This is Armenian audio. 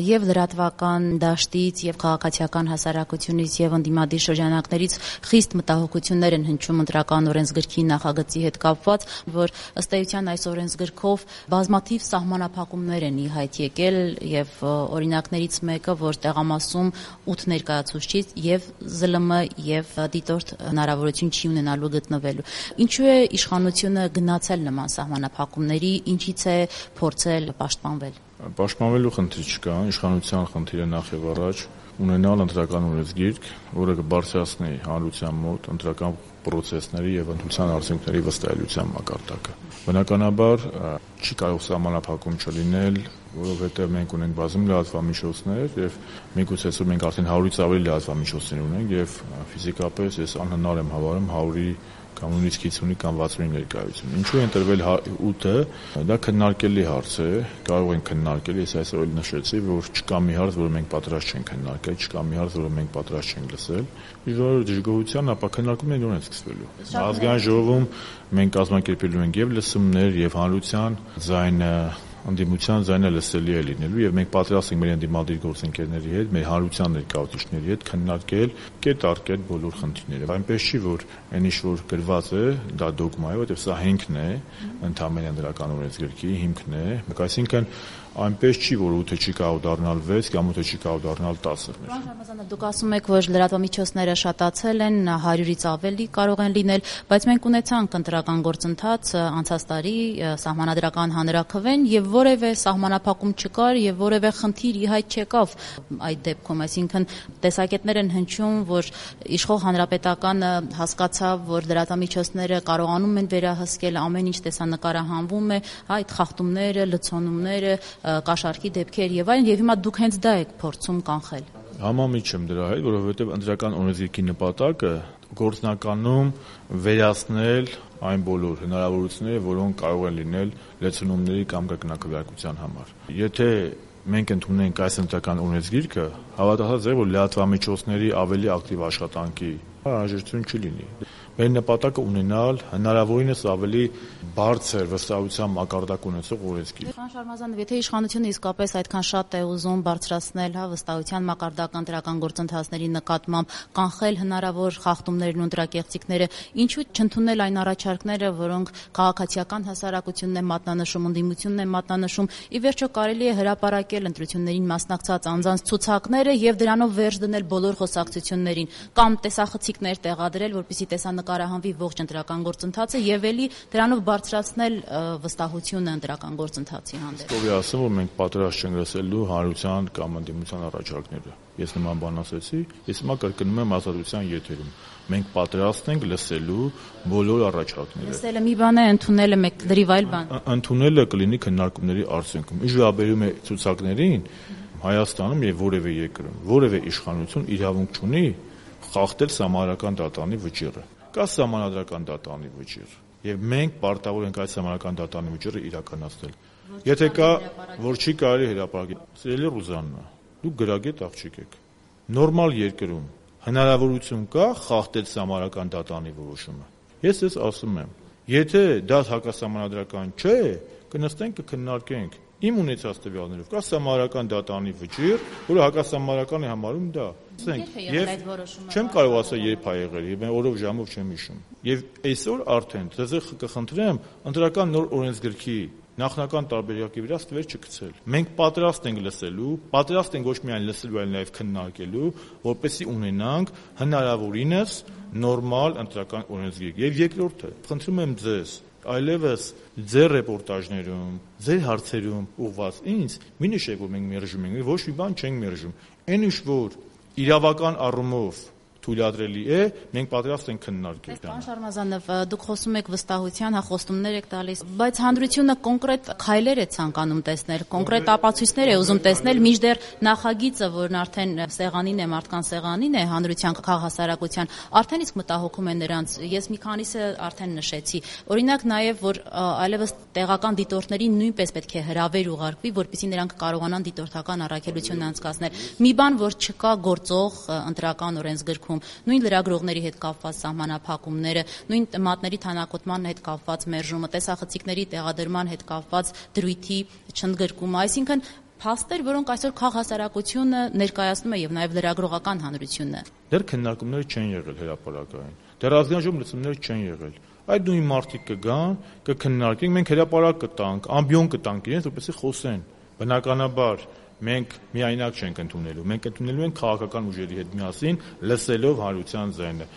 Եվ լրատվական դաշտից, եւ քաղաքացիական հասարակությունից, եւ ընդդիմադիր շրջանակներից խիստ մտահոգություններ են հնչում ընտրական օրենսգրքի նախագծի հետ կապված, որ ըստ էության այս օրենսգրքով բազմաթիվ սահմանափակումներ են ի հայտ եկել եւ օրինակներից մեկը, որ տեղամասում 8 ներկայացուցիչ եւ ԶԼՄ եւ դիտորդ հնարավորություն չի ունենալու գտնվելու։ Ինչու է իշխանությունը գնացել նման սահմանափակումների, ինչից է փորձել պաշտպանվել։ Պաշտպանվելու խնդիր չկա, իշխանության խնդիրը նախ եւ առաջ ունենալ ընտրական օրենսգիրք, որը կբարձրացնի հանրության մոտ ընտրական պրոցեսների եւ ընտրության արդյունքների վստահելիության մակարդակը։ Բնականաբար չի կարող սահմանափակում չլինել, որովհետեւ մենք ունենք բազում լրատվամիջոցներ եւ միգուցե մենք արդեն 100-ից ավելի լրատվամիջոցներ ունենք եւ ֆիզիկապես ես անհնար եմ հավարում 100-ի կամ նույնիսկ 50-ի կամ 60-ի ներկայություն։ Ինչու է ընտրվել 8-ը, դա քննարկելի հարց է, կարող են քննարկել, ես այսօր էլ նշեցի, որ չկա մի հարց, որը մենք պատրաստ չենք քննարկել, չկա մի հարց, որը մենք պատրաստ չենք լսել։ Իժորը դժգոհության, ապա քննարկումներն ունեն սկսվելու։ Ազգային ժողովում մենք կազմակերպելու ենք եւ լսումներ, եւ հանրության ձայնը ընդդիմության ձայնը լսելի է լինելու եւ մենք պատրաստ ենք մեր ընդդիմադիր գործընկերների հետ, մեր հանրության ներկայացուցիչների հետ քննարկել կետ առ կետ բոլոր խնդիրները։ Այնպես չի, որ այն ինչ որ գրված է, դա դոգմա է, որովհետեւ սա հիմքն է, ընդհանրապես ընդրական օրենսգրքի հիմքն է, այսինքն այնպես չի, որ 8-ը չի կարող դառնալ 6 կամ 8-ը չի կարող դառնալ 10։ Պարոն Շարմազանov, դուք ասում եք, որ լրատվամիջոցները շատացել են, 100-ից ավելի կարող են լինել, բայց մենք ունեցանք ընտրական գործընթաց անցած տարի սահմանադրական հանրաքվեն եւ որևէ սահմանափակում չկար եւ որևէ խնդիր ի հայտ չեկավ այդ դեպքում, այսինքն տեսակետներ են հնչում, որ իշխող հանրապետականը հասկացավ, որ լրատվամիջոցները կարողանում են վերահսկել ամեն ինչ տեսանկարահանվում է, այդ խախտումները, լցոնումները, կաշառքի դեպքեր եւ այլն, եւ հիմա դուք հենց դա եք փորձում կանխել։ Համամիջ եմ դրա հետ, որովհետեւ ընտրական օրենսգրքի նպատակը գործնականում վերացնել այն բոլոր հնարավորությունները, որոնք կարող են լինել լեցունումների կամ կրկնակվարկության համար։ Եթե մենք ընդունենք այս ընտրական օրենսգիրքը, հավատացած եք, որ լրատվամիջոցների ավելի ակտիվ աշխատանքի անհրաժեշտություն չի լինի։ Մեր նպատակը ունենալ հնարավորինս ավելի բարձր վստահության մակարդակ ունեցող օրենսգիր։ Պարոն Շարմազանov, եթե իշխանությունը իսկապես այդքան շատ է ուզում բարձրացնել վստահության մակարդակը ընտրական գործընթացների նկատմամբ, կանխել հնարավոր խախտումներն ու ընտրակեղծիքները, ինչու չընդունել այն առաջարկները, որոնք քաղաքացիական հասարակությունն է մատնանշում, ընդդիմությունն է մատնանշում, ի վերջո կարելի է հրապարակել ընտրություններին մասնակցած անձանց ցուցակները եւ դրանով վերջ դնել բոլոր խոսակցություններին, կամ տեսախցիկներ տեղադրել, որպեսզի տեսանկարահանվի ողջ ընտրական գործընթացը եւ ելի դրանով բարձրացնել վստահությունը ընտրական գործընթացի հանդեպ։ Ով է ասում, որ մենք պատրաստ չենք լսելու հանրության կամ ընդդիմության առաջարկները։ Ես նման բան ասեցի, ես հիմա կրկնում եմ ազատության եթերում։ Մենք պատրաստ ենք լսելու բոլոր առաջարկները։ Լսելը մի բան է, ընդունելը մեկ դրիվ այլ բան։ Ընդունելը կլինի քննարկումների արդյունքում։ Ինչ վերաբերում է ցուցակներին, Հայաստանում եւ որևէ երկրում, որևէ իշխանություն իրավունք չունի խախտել սահմանադրական դատանի վճիռը։ Կա սահմանադրական դատանի վճիռ եւ մենք պարտավոր ենք այդ սահմանադրական դատանի վճիռը իրականացնել։ Եթե կա, որ չի կարելի հրապարակել, սիրելի Ռուզաննա, դուք գրագետ աղջիկ եք։ Նորմալ երկրում հնարավորություն կա խախտել սահմանադրական դատանի որոշումը։ Ես ասում եմ, եթե դա հակասահմանադրական չէ, կնստենք կքննարկենք իմ ունեցած տվյալներով կա սահմանադրական դատանի վճիռ, որը հակասահմանադրական է համարում դա։ Եվ չեմ կարող ասել երբ ա եղել, եւ օրով ժամով չեմ հիշում։ Եվ այսօր արդեն ձեզ կխնդրեմ ընտրական նոր օրենսգրքի նախնական տարբերակի վրա ստվեր չգցել։ Մենք պատրաստ ենք լսելու, պատրաստ ենք ոչ միայն լսելու, այլ նաեւ քննարկելու, որպեսզի ունենանք հնարավորինս նորմալ ընտրական օրենսգիր։ Եվ երկրորդը, խնդրում եմ ձեզ, այլևս ձեր ռեպորտաժներում, ձեր հարցերում ուղված ինձ մի նշեք, որ մենք մերժում ենք, ոչ մի բան չենք մերժում։ Այն ինչ որ իրավական առումով թույլատրելի է, մենք պատրաստ ենք քննարկել։ Պարոն Շարմազանով, դուք խոսում եք վստահության, խոստումներ եք տալիս, բայց հանրությունը կոնկրետ քայլեր է ցանկանում տեսնել, կոնկրետ ապացույցներ է ուզում տեսնել, մինչդեռ նախագիծը, որն արդեն սեղանին է, մարդկան սեղանին է, հանրության քաղաքասարակության, արդեն իսկ մտահոգում է նրանց։ Ես մի քանիսը արդեն նշեցի։ Օրինակ նաև, որ այլևս տեղական դիտորդներին նույնպես պետք է հրավեր ուղարկվի, որպեսզի նրանք կարողանան դիտորդական առաքելություն անցկացնել։ Մի բան, որ չկա գործող ընտրական օրենսգրքում, նույն լրագրողների հետ կապված սահմանափակումները, նույն մատների թանակոտման հետ կապված մերժումը, տեսախցիկների տեղադրման հետ կապված դրույթի չընդգրկումը, այսինքն փաստեր, որոնք այսօր քաղհասարակությունը ներկայացնում է եւ նաեւ լրագրողական հանրությունը։ Դեռ քննարկումներ չեն եղել հրապարակային։ Դեռ ազգային ժողովի լուծումներ չեն եղել։ Այդ նույն մարդիկ կգան, կքննարկենք, մենք հրապարակ կտանք, ամբիոն կտանք իրենց, որպեսզի խոսեն։ Բնականաբար մենք միայնակ չենք ընդունելու, մենք ընդունելու ենք քաղաքական ուժերի հետ միասին, լսելով հանրության ձայնը։